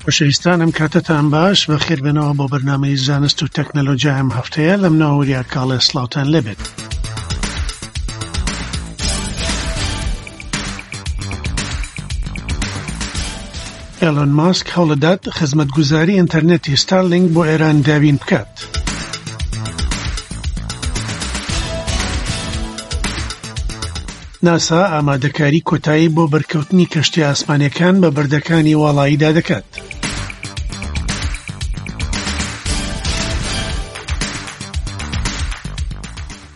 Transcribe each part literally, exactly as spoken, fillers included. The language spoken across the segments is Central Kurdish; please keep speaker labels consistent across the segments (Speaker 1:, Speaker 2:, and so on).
Speaker 1: خۆشەویستان ئەم کاتەتان باش، بەخێربێنەوە بۆ بەرنامەی زانست و تەکنەلۆژیا ئەم هەفتەیە لەم ناوەوریا کاڵێ سڵاوتان لێبێت. ئێلۆن ماسک هەوڵدەدات خزمەتگوزاری ئینتەرنێتی ستارلینک بۆ ئێران دابین بکات. ناسا ئامادەکاری کۆتایی بۆ بەرکەوتنی کەشتی ئاسمانیەکان بە بەردەکانی واڵاییدا دەکات.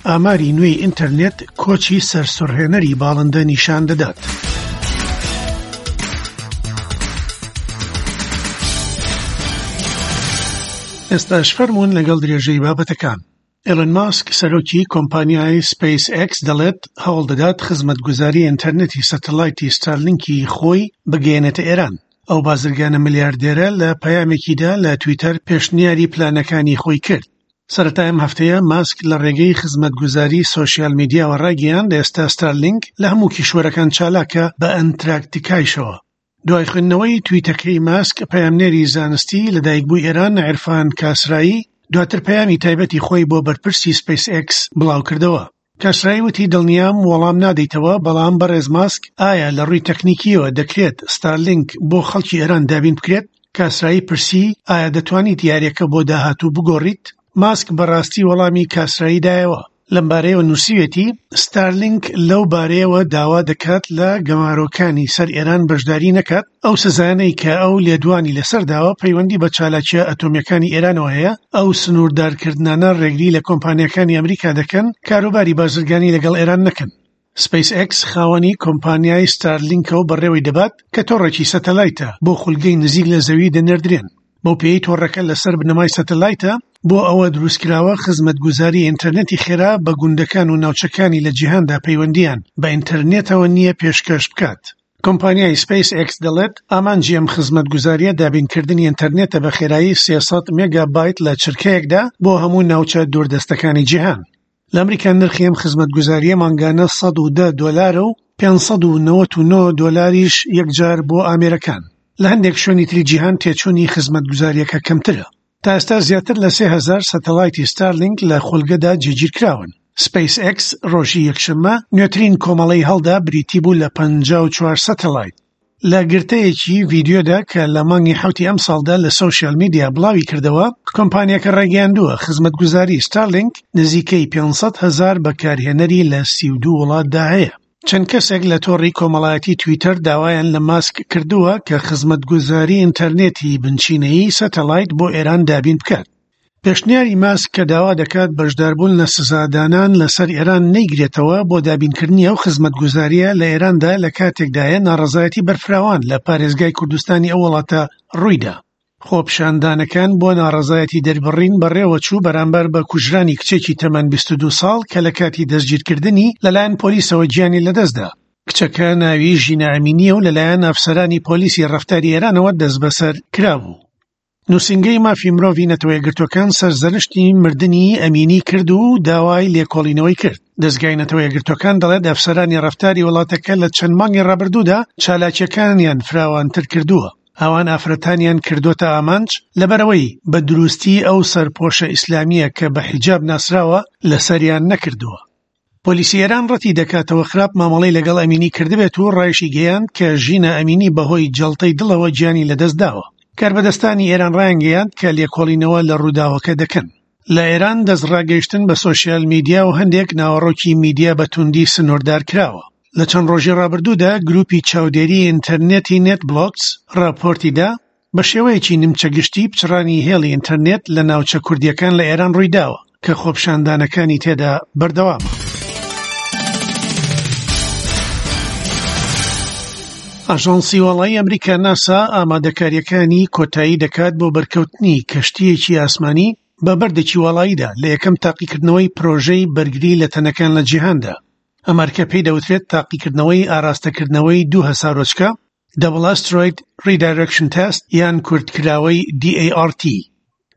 Speaker 1: ئاماری نوێی ئینتەرنێت کۆچی سەرسوڕهێنەری باڵندە نیشان دەدات. ئێستاش فەرموون لەگەڵ درێژەی بابەتەکان. ئێلۆن ماسک سەرۆکی کۆمپانیای سپەیس ئێکس دەڵێت هەوڵ دەدات خزمەتگوزاری ئینتەرنێتی سەتەلایتی ستارلینکی خۆی بگەیەنێتە ئێران. ئەو بازرگانە ملیاردێرە لە پەیامێکیدا لە تویتەر پێشنیاری پلانەکانی خۆی کرد. سەرەتای ئەم هەفتەیە ماسک لە ڕێگەی خزمەتگوزاری سۆشیال میدیاوە ڕایگەیاند ئێستا ستارلینک لە هەموو کیشوەرەکان چالاکە بە ئەنتراکتیکایشەوە. دوای خوێندنەوەی تویتەکەی ماسک، پەیامنێری زانستی لەدایکبووی ئێران عیرفان کاسرایی دواتر پەیامی تایبەتی خۆی بۆ بەرپرسی سپەیس ئێکس بڵاوکردەوە. کاسرایی وتی دڵنیام وەڵام نادەیتەوە، بەڵام بەڕێز ماسک ئایا لە ڕووی تەکنیکیەوە دەکرێت ستارلینک بۆ خەڵکی ئێران دابین بکرێت؟ کاسرایی پرسی ئایا دەتوانیت یاریەکە بۆ داهاتوو بگۆڕیت؟ ماسک بەڕاستی وەڵامی کاسرایی دایەوە. لەم بارەیەوە نووسیوێتی ستارلینک لەو بارەیەوە داوا دەکات لە گەمارۆکانی سەر ئێران بەشداری نەکات. ئەو سزایانەی کە ئەو لێدوانی لەسەر داوە پەیوەندی بە چالاکیە ئەتۆمیەکانی ئێرانەوە هەیە. ئەو سنووردارکردنانە ڕێگری لە کۆمپانیاکانی ئەمریکا دەکەن کاروباری بازرگانی لەگەڵ ئێران نەکەن. سپەیس ئێکس خاوەنی کۆمپانیای ستارلینکە و بەڕێوەی دەبات کە تۆڕێکی سەتەلایتە بۆ خولگەی نزیک لە زەوی دەنێردرێن. بەو پێی تۆڕەکە لەسەر بنەمای سەتەلایتە بۆ ئەوە دروستکراوە خزمەتگوزاری ئینتەرنێتی خێرا بە گوندەکان و ناوچەکانی لە جیهاندا پەیوەندیان بە ئینتەرنێتەوە نییە پێشکەش بکات. کۆمپانیای سپەیس ئێکس دەڵێت ئامانجی ئەم خزمەتگوزاریە دابینکردنی ئینتەرنێتە بە خێرایی سێ سەد مێگابایت لە چرکەیەکدا بۆ هەموو ناوچە دووردەستەکانی جیهان. لە ئەمریکا نرخی ئەم خزمەتگوزاریە مانگانە سەد و دە دۆلارە و پێنج سەد و نەوەت و نۆ دۆلاریش یەکجار بۆ ئامێرەکان. لە هەندێک شوێنی تری جیهان تێچوونی خزمەتگوزاریەکە کەمترە. تا ئێستا زیاتر لە سێ هەزار سەتەلایتی ستارلینک لە خولگەدا جێگیرکراون. سپەیس ئێکس ڕۆژی یەکشەممە نوێترین کۆمەڵەی هەڵدا بریتی بوو لە پەنجا و چوار سەتەلایت. لە گرتەیەکی ڤیدیۆدا کە لە مانگی حەوتی ئەمساڵدا لە سۆشیال میدیا بڵاوی کردەوە، کۆمپانیاکە ڕایگەیاندووە خزمەتگوزاری ستارلینک نزیکەی پێنج سەد هەزار بەکارهێنەری لە سی و دوو وڵاتدا هەیە. چەند کەسێک لە تۆڕی کۆمەڵایەتی تویتەر داوایان لە ماسک کردووە کە خزمەتگوزاری ئینتەرنێتی بنچینەیی سەتەلایت بۆ ئێران دابین بکات. پێشنیاری ماسک کە داوا دەکات بەشداربوون لە سزادانان لەسەر ئێران نەیگرێتەوە بۆ دابینکردنی ئەو خزمەتگوزاریە لە ئێراندا لە کاتێکدایە ناڕەزایەتی بەرفراوان لە پارێزگای کوردستانی ئەو وڵاتە ڕوویدا. خۆپیشاندانەکان بۆ ناڕەزایەتی دەربڕین بەڕێوە چوو بەرامبەر بە کوژرانی کچێکی تەمەن بیست و دوو ساڵ کە لە کاتی دەستگیرکردنی لەلایەن پۆلیسەوە گیانی لەدەستدا. کچەکە ناوی ژینا ئەمینیە و لەلایەن ئەفسەرانی پۆلیسی ڕەفتاری ئێرانەوە دەستبەسەر کرابوو. نووسینگەی مافی مرۆڤی نەتەوە یەکگرتووەکان سەرزەنشتی مردنی ئەمینی کرد و داوای لێکۆڵینەوەی کرد. دەزگای نەتەوە یەکگرتووەکان دەڵێت ئەفسەرانی ڕەفتاری وڵاتەکە لە چەند مانگی ڕابردوودا چالاکیەکانیان فراوانتر کردووە. ئەوان ئافرەتانیان کردوتە ئامانج لەبەرەوەی بە دروستی ئەو سەرپۆشە ئیسلامیە کە بە حیجاب ناسراوە لەسەریان نەکردووە. پۆلیسی ئێران ڕەتی دەکاتەوە خراپ مامەڵەی لەگەڵ ئەمینی کردبێت و ڕایشی گەیاند کە ژینا ئەمینی بەهۆی جەڵتەی دڵەوە گیانی لەدەست داوە. کاربەدەستانی ئێران ڕایانگەیاند کە لێکۆڵینەوە لە ڕووداوەکە دەکەن. لە ئێران دەستڕاگەیشتن بە سۆشیال میدیا و هەندێک ناوەڕۆکی میدیا بە توندی سنووردار کراوە. لە چەند ڕۆژی ڕابردوودا گروپی چاودێری ئینتەرنێتی نێت بلۆکس ڕاپۆرتی دا بە شێوەیەکی نیمچە گشتی پچڕانی هێڵی ئینتەرنێت لە ناوچە کوردیەکان لە ئێران ڕوویداوە کە خۆپیشاندانەکانی تێدا بەردەوامە. ئاژانسی واڵایی ئەمریکا ناسا ئامادەکاریەکانی کۆتایی دەکات بۆ بەرکەوتنی کەشتییەکی ئاسمانی بە بەردێکی واڵاییدا لە یەکەم تاقیکردنەوەی پرۆژەی بەرگری لە تەنەکان لە جیهاندا. ئەمەرکە پێی دەوترێت تاقیکردنەوەی ئاراستەکردنەوەی دوو هەسارۆچکە Double Asteroid Redirection Test یان کورتکراوەی D A R T.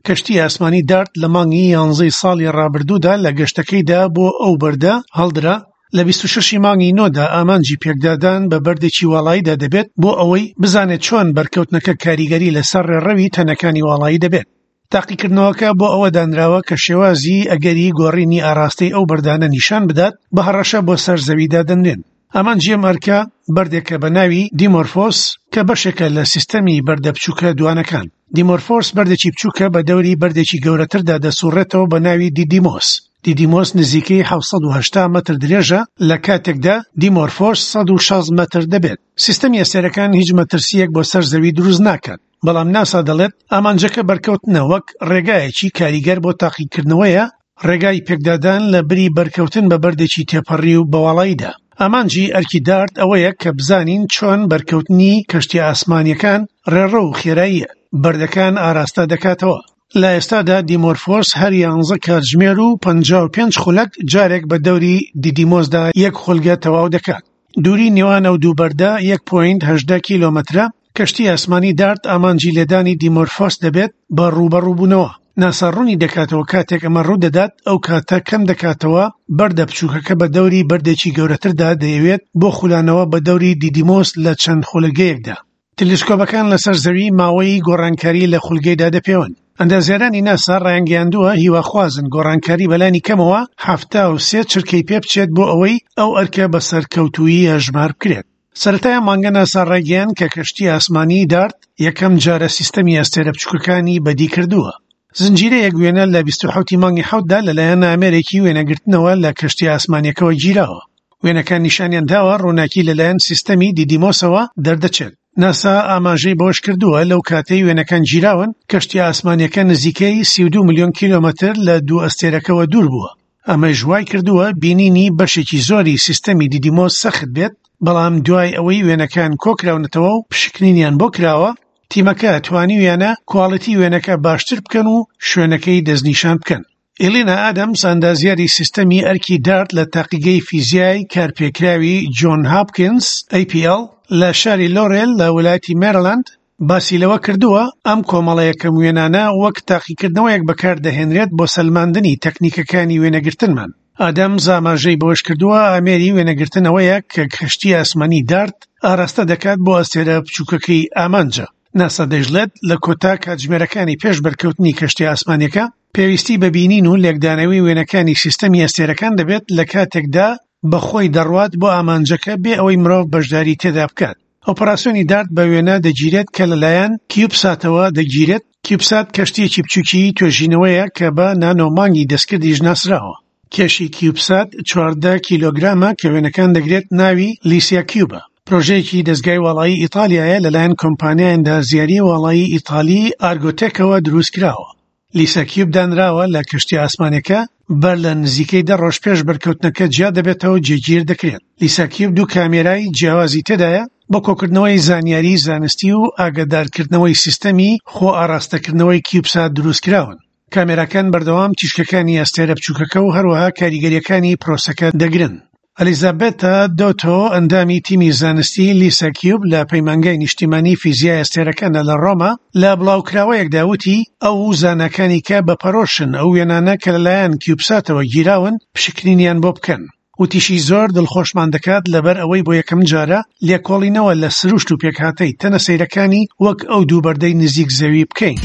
Speaker 1: کەشتی ئاسمانی دارت لە مانگی یانزەی ساڵی ڕابردوودا لە گەشتەکەیدا بۆ ئەو بەردە هەڵدرا لە بیست و شەش ی مانگی نۆدا ئامانجی پێکدادان بە بەردێکی واڵاییدا دەبێت بۆ ئەوەی بزانێت چۆن بەرکەوتنەکە کاریگەری لەسەر ڕێڕەوی تەنەکانی واڵایی دەبێت. تاقیکردنەوەکە بۆ ئەوە دانراوە کە شێوازی ئەگەری گۆڕینی ئاراستەی ئەو بەردانە نیشان بدات بە هەڕەشە بۆ سەر زەویدا دەنرێن. ئامانجی ئەم ئەرکە بەردێکە بە ناوی دیمۆرفۆس کە بەشێکە لە سیستەمی بەردە بچووکە دوانەکان. دیمۆرفۆس بەردێکی بچووکە بە دەوری بەردێکی گەورەتردا دەسوڕێتەوە بە ناوی دیدیمۆس. دیدیمۆس نزیکەی حەوت سەد و هەشتا مەتر درێژە، لە کاتێکدا دیمۆرفۆس سەد و شەست مەتر دەبێت. سیستەمی ئەستێرەکان هیچ مەترسیەک بۆ سەر زەوی دروست ناکات، بەڵام ناسا دەڵێت ئامانجەکە بەرکەوتنە وەک ڕێگایەکی کاریگەر بۆ تاقیکردنەوەیە، ڕێگای پێکدادان لە بری بەرکەوتن بە بەردێکی تێپەڕی و بەواڵاییدا. ئامانجی ئەرکی دارت ئەوەیە کە بزانین چۆن بەرکەوتنی کەشتی ئاسمانیەکان ڕێڕە و خێرایی بەردەکان ئاراستە دەکاتەوە. لە ئێستادا دیمۆرفۆس هەر یانزە کاتژمێر و پەنجا و پێنج خولەک جارێک بە دەوری دیدیمۆسدا یەک خولگە تەواو دەکات. دووری نێوان ئەو دوو بەردە یەک پۆینت هەژدە کیلۆمەترە. کەشتی ئاسمانی دارت ئامانجی لێدانی دیمۆرفۆس دەبێت بە ڕووبەڕووبوونەوە. ناسا ڕوونی دەکاتەوە کاتێک ئەمە ڕوو دەدات ئەو کاتە کەم دەکاتەوە بەردە بچووکەکە بە دەوری بەردێکی گەورەتردا دەیەوێت بۆ خولانەوە بە دەوری دیدیمۆس لە چەند خولگەیەکدا. تەلسکۆبەکان لەسەر زەوی ماوەی گۆڕانکاری لە خولگەیدا دەپێون. ئەندازیارانی ناسا ڕایانگەیاندووە هیواخوازن گۆڕانکاری بەلانی کەمەوە حەفتا و سێ چرکەی پێ بچێت بۆ ئەوەی ئەو ئەرکە بە سەرکەوتوویی هەژمار بکرێت. سەرەتای مانگە ناسا ڕایگەیاند کە کەشتی ئاسمانی دارت یەکەم جارە سیستەمی ئەستێرە بچووکەکانی بەدی کردووە. زنجیرەیەک وێنە لە بیست و حەوتی مانگی حەوتدا لەلایەن ئامێرێکی وێنەگرتنەوە لە کەشتی ئاسمانیەکەوە گیراوە. وێنەکان نیشانیان داوە ڕووناکی لەلایەن سیستەمی دیدیمۆسەوە دەردەچێت. ناسا ئاماژەی بەوەش کردووە لەو کاتەی وێنەکان گیراون کەشتی ئاسمانیەکە نزیکەی سی و دوو ملیۆن کیلۆمەتر لە دوو ئەستێرەکەوە دوور بووە. ئەمەش وای کردووە بینینی بەشێکی زۆری سیستەمی دیدیمۆس سەخت بێت، بەڵام دوای ئەوەی وێنەکان کۆکراونەتەوە و پشکنینیان بۆ کراوە، تیمەکە توانیویانە کواڵیتی وێنەکە باشتر بکەن و شوێنەکەی دەستنیشان بکەن. ئێلینا ئادەمس ئەندازیاری سیستەمی ئەرکی دارت لە تاقیگەی فیزیای کارپێکراوی جۆن هاپکینز ئەی پی ئێڵ لە شاری لۆرێل لە ویلایەتی مێرلاند باسی لەوە کردووە ئەم کۆمەڵە یەکەم وێنانە وەک تاقیکردنەوەیەک بەکاردەهێنرێت بۆ سەلماندنی تەکنیکەکانی وێنەگرتنمان. ئادەمز ئاماژەی بەوەش کردووە ئامێری وێنەگرتنەوەیە کە کەشتی ئاسمانی دارت ئاراستە دەکات بۆ ئەستێرە بچووکەکەی ئامانجە. ناسا دەیڵێت لە کۆتا کاتژمێرەکانی پێش بەرکەوتنی کەشتی ئاسمانیەکە پێویستی بە بینین و لێکدانەوەی وێنەکانی سیستەمی ئەستێرەکان دەبێت لە کاتێکدا بەخۆی دەڕوات بۆ ئامانجەکە بێ ئەوەی مرۆڤ بەشداری تێدا بکات. ئۆپەراسیۆنی دارت بە وێنە دەگیرێت کە لەلایەن کیوبساتەوە دەگیرێت. کیوبسات کەشتیەکی بچووکی توێژینەوەیە کە بە نانۆمانگی دەستکردیش ناسراوە. کێشی کیوبسات چواردە کیلۆگرامە کە وێنەکان دەگرێت ناوی لیسیا کیوبە. پرۆژەیەکی دەستگای واڵایی ئیتالیایە لەلایەن کۆمپانیای ئەندازیاری واڵایی ئیتالی ئارگۆتێکەوە دروست کراوە. لیسا کیوب دانراوە لە کەشتی ئاسمانەکە بەر لە نزیکەی دە ڕۆژ پێش بەرکەوتنەکە جیا دەبێتەوە جێگیر دەکرێت. لیسا کیوب دوو کامێرای جیاوازی تێدایە بۆ کۆکردنەوەی زانیاری زانستی و ئاگادارکردنەوەی سیستەمی خۆ ئاراستەکردنەوەی کیوبسات دروست کراون. کامێراکان بەردەوام تیشکەکانی ئەستێرە بچووکەکە و هەروەها کاریگەریەکانی پرۆسەکە دەگرن. ئەلیزابێتا دۆتۆ ئەندامی تیمی زانستی لیسا کیوب لە پەیمانگای نیشتیمانی فیزیای ئەستێرەکانە لە ڕۆما لە بڵاوکراوەیەکدا وتی ئەو زاناکانی کە بە پەرۆشن ئەو وێنانە کە لەلایەن کیوبساتەوە گیراون پشکنینیان بۆ بکەن. وتیشی زۆر دڵخۆشمان دەکات لەبەر ئەوەی بۆ یەکەم جارە لێکۆڵینەوە لە سروشت و پێکهاتەی تەنە سەیرەکانی وەک ئەو دوو بەردەی نزیک زەوی بکەین.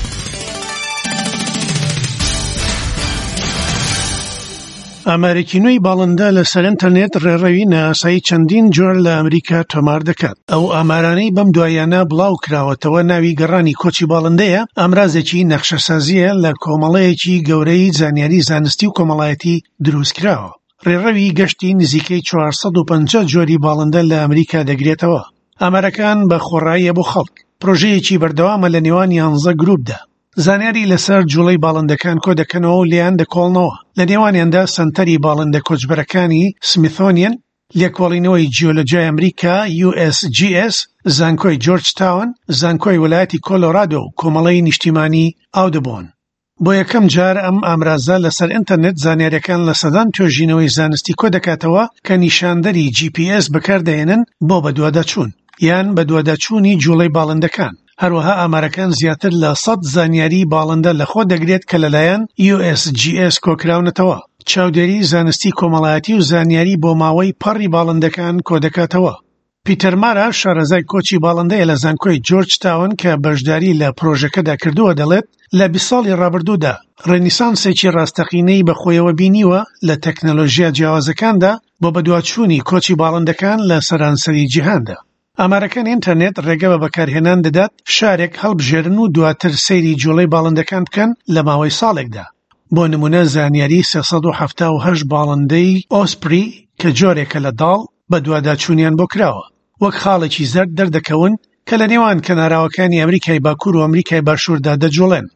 Speaker 1: ئامارێکی نوێی باڵندە لەسەر ئینتەرنێت ڕێڕەوی نائاسایی چەندین جۆر لە ئەمریکا تۆمار دەکات. ئەو ئامارانەی بەم دواییانە بڵاو کراوەتەوە ناوی گەڕانی کۆچی باڵندەیە، ئامرازێکی نەخشەسازیە لە کۆمەڵەیەکی گەورەی زانیاری زانستی و کۆمەڵایەتی دروست کراوە. ڕێڕەوی گەشتی نزیکەی چوار سەد و پەنجا جۆری باڵندە لە ئەمریکا دەگرێتەوە. ئامارەکان بە خۆڕاییە بۆ خەڵک. پرۆژەیەکی بەردەوامە لە نێوان یانزە گروپدا. زانیاری لەسەر جوڵەی باڵندەکان کۆ دەکەنەوە و لێیان دەکۆڵنەوە. لە نێوانیاندا سەنتەری باڵندە کۆچبەرەکانی سمیثۆنیەن، لێکۆڵینەوەی جیۆلۆجیای ئەمریکا یو ئێس جی ئێس، زانکۆی جۆرج تاون، زانکۆی ویلایەتی کۆلۆرادۆ و کۆمەڵەی نیشتیمانی ئاودبۆن. بۆ یەکەم جار ئەم ئامرازە لەسەر ئینتەرنێت زانیاریەکان لە سەدان توێژینەوەی زانستی کۆ دەکاتەوە کە نیشاندەری جی پی ئێس بەکاردەهێنن بۆ بەدواداچوون یان بەدواداچوونی جوڵەی باڵندەکان. هەروەها ئامارەکان زیاتر لە سەد زانیاری باڵندە لەخۆ دەگرێت کە لەلایەن یو ئێس جی ئێس کۆکراونەتەوە. چاودێری زانستی کۆمەڵایەتی و زانیاری بۆ ماوەی پەڕی باڵندەکان کۆدەکاتەوە. پیتەر مارا شارەزای کۆچی باڵندەیە لە زانکۆی جۆرج تاون کە بەشداری لە پرۆژەکەدا کردووە دەڵێت لە بیست ساڵی ڕابردوودا ڕێنیسانسێکی ڕاستەقینەی بەخۆیەوە بینیوە لە تەکنەلۆژیا جیاوازەکاندا بۆ بەدواچوونی کۆچی باڵندەکان لە سەرانسەری جیهاندا. ئامارەکان ئینتەرنێت ڕێگە بە بەکارهێنان دەدات شارێک هەڵبژێرن و دواتر سەیری جوڵەی باڵندەکان بکەن لە ماوەی ساڵێکدا. بۆ نمونە زانیاری سێ سەد و حەفتا و هەشت باڵندەی ئۆسپری کە جۆرێکە لە داڵ بەدواداچوونیان بۆ کراوە، وەک خاڵێکی زەرد دەردەکەون کە لە نێوان کەناراوەکانی ئەمریکای باکوور و ئەمریکای باشووردا دەجوڵێن.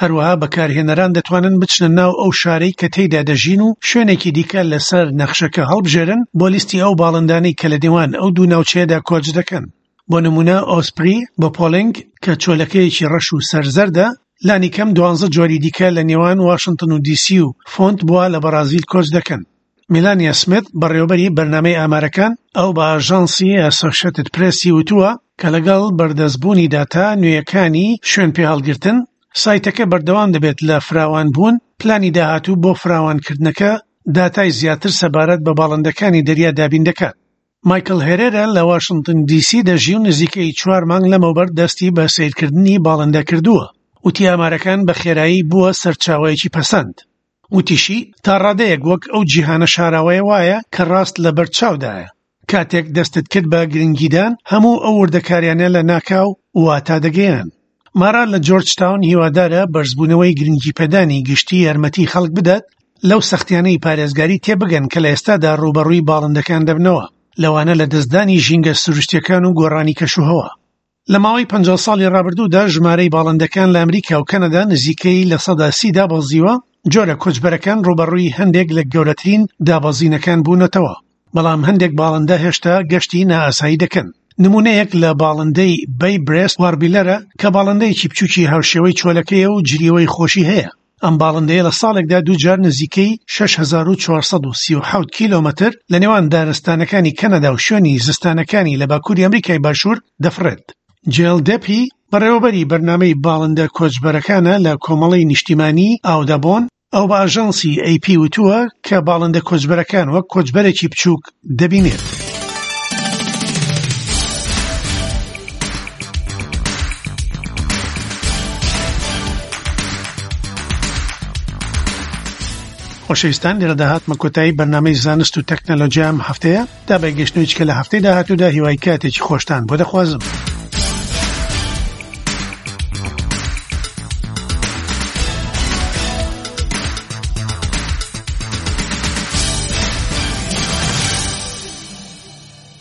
Speaker 1: هەروەها بەکارهێنەران دەتوانن بچنە ناو ئەو شارەی کە تێیدا دەژین و شوێنێکی دیکە لەسەر نەخشەکە هەڵبژێرن بۆ لیستی ئەو باڵندانەی کە لە نێوان ئەو دوو ناوچەیەدا کۆچ دەکەن. بۆ نمونە ئۆسپری بۆپۆلینگ کە چۆلەکەیەکی ڕەش و سەرزەردە، لانی کەم دوانزە جۆری دیکە لە نێوان واشنتن و دیسی و فۆنت بووە لە بەرازیل کۆچ دەکەن. میلانیا سمیت بەڕێوەبەری بەرنامەی ئامارەکان ئەو بە ئاژانسی ئەسۆشێتد پرێسی وتووە کە لەگەڵ بەردەستبوونی داتا نوێیەکانی شوێن پێهەڵگرتن سایتەکە بەردەوام دەبێت لە فراوانبوون. پلانی داهاتوو بۆ فراوانکردنەکە داتای زیاتر سەبارەت بە باڵندەکانی دەریا دابین دەکات. مایکل هێرێرا لە واشنتن دیسی دەژی و نزیکەی چوار مانگ لەمەوبەر دەستی بە سەیرکردنی باڵندە کردووە. وتی ئامارەکان بە خێرایی بووە سەرچاوەیەکی پەسەند. وتیشی تا ڕادەیەک وەک ئەو جیهانە شاراوەیە وایە کە ڕاست لەبەر چاودایە. کاتێک دەستت کرد بە گرنگیدان هەموو ئەو وردەکاریانە لە ناکاو واتا دەگەیەنن. مارا لە جۆرج تاون هیوادارە بەرزبوونەوەی گرنگی پێدانی گشتی یارمەتی خەڵک بدات لەو سەختیانەی پارێزگاری تێبگەن کە لە ئێستادا ڕووبەڕووی باڵندەکان دەبنەوە، لەوانە لە دەستدانی ژینگە سروشتیەکان و گۆڕانی کەشوهەوا. لە ماوەی پەنجا ساڵی ڕابردوودا ژمارەی باڵندەکان لە ئەمریکا و کەنەدا نزیکەی لە سەدا سی دابەزیوە. جۆرە کۆچبەرەکان ڕووبەڕووی هەندێک لە گەورەترین دابەزینەکان بوونەتەوە، بەڵام هەندێک باڵندە هێشتا گەشتی نائاسایی دەکەن. نمونەیەک لە باڵندەی بەی برێست واربیلەرە کە باڵندەیەکی بچووکی هاوشێوەی چۆلەکەیە و جریەوەی خۆشی هەیە. ئەم باڵندەیە لە ساڵێکدا دووجار نزیکەی شەش هەزار و چوار سەد و سی و حەوت کیلۆمەتر لە نێوان دارستانەکانی کەنەدا و شوێنی زستانەکانی لە باکووری ئەمریکای باشوور دەفڕێت. جێل دێپی بەڕێوەبەری بەرنامەی باڵندە کۆچبەرەکانە لە کۆمەڵەی نیشتیمانی ئاودابۆن، ئەو بە ئاژانسی ئەی پی وتووە کە باڵندە کۆچبەرەکان وەک کۆچبەرێکی بچووک دەبینێت. خۆشەویستان، لێرەدا هاتمە کۆتایی بەرنامەی زانست و تەکنەلۆژیا ئەم هەفتەیە. تا بەگەشتنەوەی کە لە هەفتەی داهاتوودا هیوای کاتێکی خۆشتان بۆ دەخوازم.